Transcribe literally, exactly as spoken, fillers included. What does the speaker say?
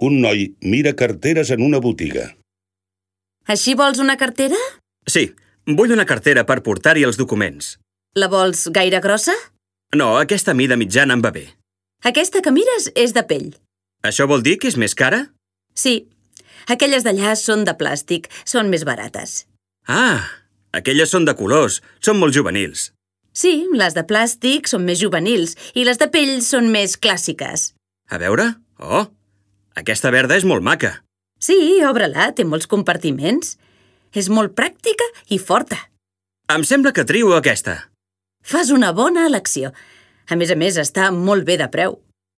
Un noi mira carteres en una botiga. Així vols una cartera? Sí, vull una cartera per portar-hi els documents. La vols gaire grossa? No, aquesta mida mitjana em va bé. Aquesta que mires és de pell. Això vol dir que és més cara? Sí. Aquelles d'allà són de plàstic, són més barates. Ah, aquelles són de colors, són molt juvenils. Sí, les de plàstic són més juvenils i les de pell són més clàssiques. A veure? Oh, aquesta verda és molt maca. Sí, obre-la, té molts compartiments. És molt pràctica i forta. Em sembla que trio aquesta. Fas una bona elecció. A més a més, està molt bé de preu.